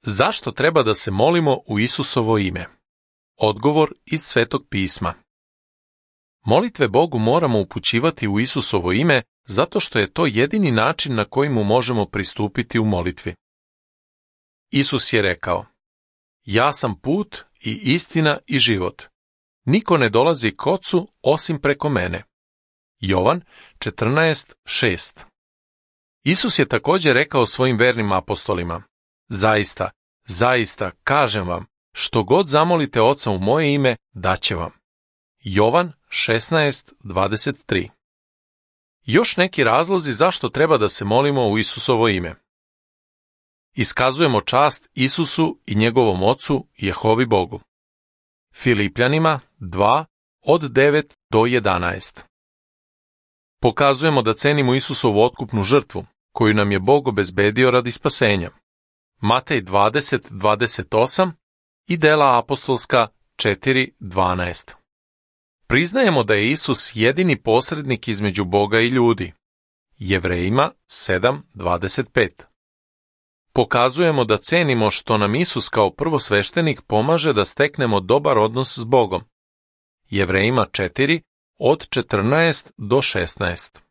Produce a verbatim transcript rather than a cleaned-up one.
Zašto treba da se molimo u Isusovo ime? Odgovor iz Svetog pisma. Molitve Bogu moramo upućivati u Isusovo ime zato što je to jedini način na koji mu možemo pristupiti u molitvi. Isus je rekao: Ja sam put i istina i život. Niko ne dolazi k Ocu osim preko mene. Jovan četrnaest šest. Isus je također rekao svojim vernim apostolima: Zaista, zaista, kažem vam, što god zamolite Oca u moje ime, daće vam. Jovan šesnaest dvadeset tri. Još neki razlozi zašto treba da se molimo u Isusovo ime. Iskazujemo čast Isusu i njegovom Ocu, Jehovi Bogu. Filipljanima dva od devet do jedanaest. Pokazujemo da cenimo Isusovu otkupnu žrtvu, koju nam je Bog obezbedio radi spasenja. Matej dvadeset dvadeset osam i Dela apostolska četiri dvanaest. Priznajemo da je Isus jedini posrednik između Boga i ljudi. Jevrejima sedam dvadeset pet. Pokazujemo da cenimo što nam Isus kao prvosveštenik pomaže da steknemo dobar odnos s Bogom. Jevrejima četiri od četrnaest do šesnaest.